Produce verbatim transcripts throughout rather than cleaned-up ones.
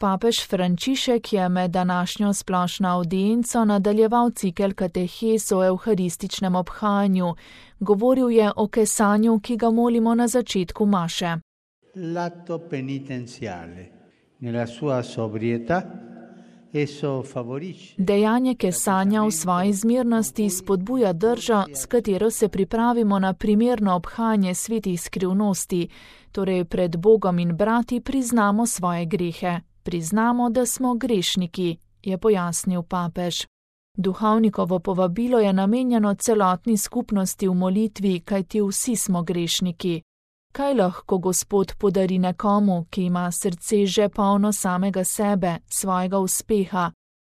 Papež Frančišek je med današnjo splošno avdienco nadaljeval cikel katehes o evharističnem obhajanju. Govoril je o kesanju, ki ga molimo na začetku maše. L'atto penitenziale, nella sua sobrietà, esso favorisce. Dejanje kesanja v svoji zmernosti spodbuja držo, s katero se pripravimo na primerno obhajanje svetih skrivnosti, torej pred Bogom in brati priznamo svoje grehe. Priznamo, da smo grešniki, je pojasnil papež. Duhovnikovo povabilo je namenjeno celotni skupnosti v molitvi, kajti vsi smo grešniki. Kaj lahko Gospod podari nekomu, ki ima srce že polno samega sebe, svojega uspeha?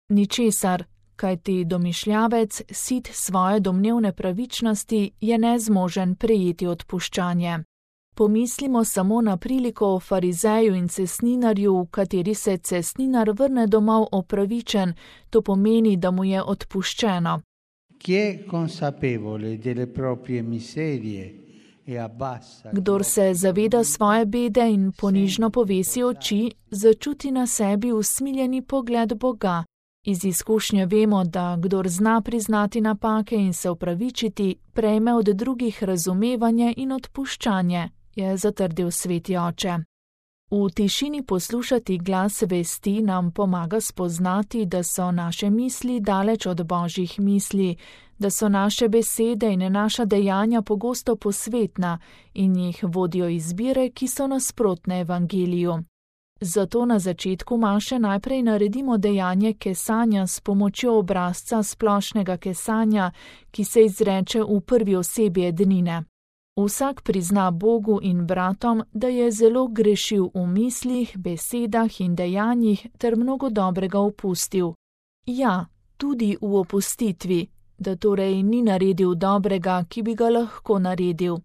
Ničesar, kajti domišljavec, sit svoje domnevne pravičnosti, je nezmožen prejeti odpuščanje. Pomislimo samo na priliko o farizeju in cesninarju, v kateri se cesninar vrne domov opravičen, to pomeni, da mu je odpuščeno. Kdor se zaveda svoje bede in ponižno povesi oči, začuti na sebi usmiljeni pogled Boga. Iz izkušnje vemo, da kdor zna priznati napake in se opravičiti, prejme od drugih razumevanje in odpuščanje, je zatrdil sveti oče. V tišini poslušati glas vesti nam pomaga spoznati, da so naše misli daleč od Božjih misli, da so naše besede in naša dejanja pogosto posvetna in jih vodijo izbire, ki so nasprotne evangeliju. Zato na začetku maše najprej naredimo dejanje kesanja s pomočjo obrazca splošnega kesanja, ki se izreče v prvi osebi ednine. Vsak prizna Bogu in bratom, da je zelo grešil v mislih, besedah in dejanjih ter mnogo dobrega opustil. Ja, tudi v opustitvi, da torej ni naredil dobrega, ki bi ga lahko naredil.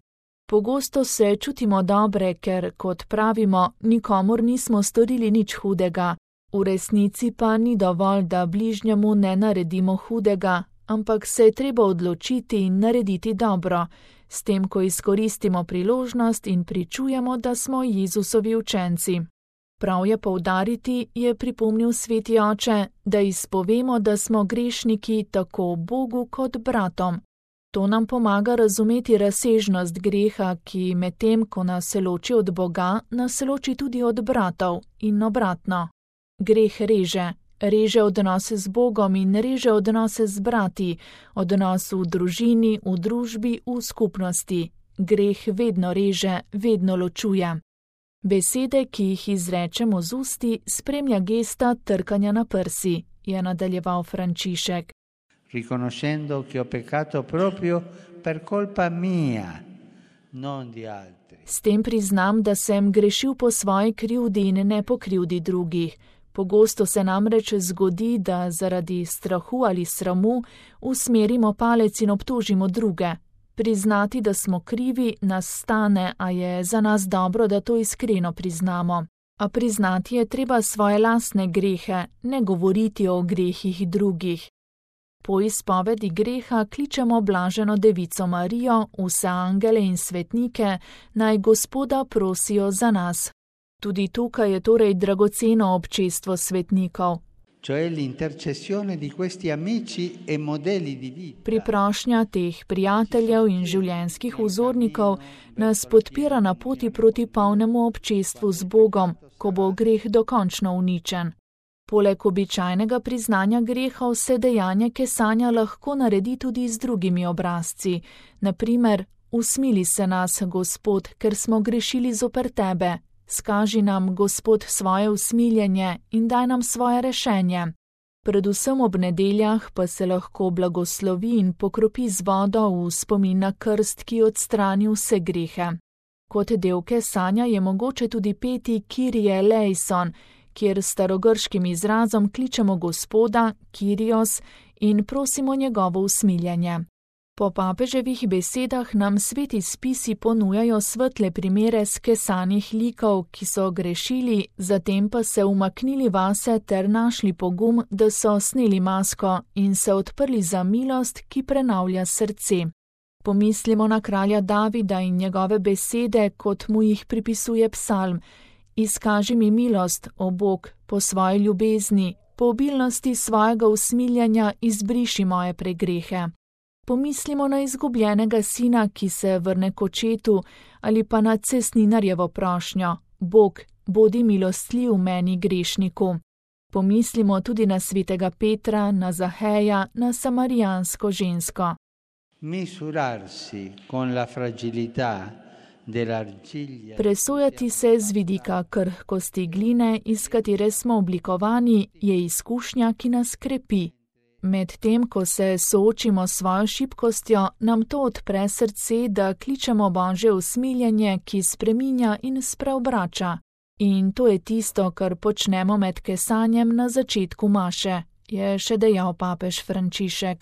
Pogosto se čutimo dobre, ker, kot pravimo, nikomur nismo storili nič hudega. V resnici pa ni dovolj, da bližnjemu ne naredimo hudega, ampak se je treba odločiti in narediti dobro, s tem, ko izkoristimo priložnost in pričujemo, da smo Jezusovi učenci. Prav je poudariti, je pripomnil sveti oče, da izpovemo, da smo grešniki tako Bogu kot bratom. To nam pomaga razumeti razsežnost greha, ki medtem, ko nas loči od Boga, nas loči tudi od bratov in obratno. Greh reže. Reže odnose z Bogom in reže odnose z brati, odnos v družini, v družbi, v skupnosti. Greh vedno reže, vedno ločuje. Besede, ki jih izrečemo z usti, spremlja gesta trkanja na prsi, je nadaljeval Frančišek. Riconoscendo che ho peccato proprio per colpa mia, non di altri. S tem priznam, da sem grešil po svoji krivdi in ne po krivdi drugih. Pogosto se namreč zgodi, da zaradi strahu ali sramu usmerimo palec in obtožimo druge. Priznati, da smo krivi, nas stane, a je za nas dobro, da to iskreno priznamo. A priznati je treba svoje lastne grehe, ne govoriti o grehih drugih. Po izpovedi greha kličemo blaženo devico Marijo, vse angele in svetnike, naj Gospoda prosijo za nas. Tudi tukaj je torej dragoceno občestvo svetnikov. Priprošnja teh prijateljev in življenjskih vzornikov nas podpira na poti proti polnemu občestvu z Bogom, ko bo greh dokončno uničen. Poleg običajnega priznanja grehov se dejanje kesanja lahko naredi tudi z drugimi obrazci. Na primer, usmili se nas, Gospod, ker smo grešili zoper tebe. Skaži nam, Gospod, svoje usmiljenje in daj nam svoje rešenje. Predvsem ob nedeljah pa se lahko blagoslovi in pokropi z vodo v spomin na krst, ki odstrani vse grehe. Kot del kesanja je mogoče tudi peti Kyrie eleison, kjer s starogrškim izrazom kličemo Gospoda, Kyrios, in prosimo njegovo usmiljenje. Po papeževih besedah nam sveti spisi ponujajo svetle primere skesanih likov, ki so grešili, zatem pa se umaknili vase ter našli pogum, da so sneli masko in se odprli za milost, ki prenavlja srce. Pomislimo na kralja Davida in njegove besede, kot mu jih pripisuje psalm. Izkaži mi milost, o Bog, po svoji ljubezni, po obilnosti svojega usmiljanja izbriši moje pregrehe. Pomislimo na izgubljenega sina, ki se vrne k očetu, ali pa na cestninarjevo prošnjo: Bog, bodi milostljiv meni grešniku. Pomislimo tudi na svetega Petra, na Zaheja, na samarijansko žensko. Misurarsi con la fragilità dell'argilla. Presojati se z vidika krhkosti gline, iz katere smo oblikovani, je izkušnja, ki nas krepi. Medtem, ko se soočimo s svojo šibkostjo, nam to odpre srce, da kličemo Božje usmiljenje, ki spreminja in spreobrača. In to je tisto, kar počnemo med kesanjem na začetku maše, je še dejal papež Frančišek.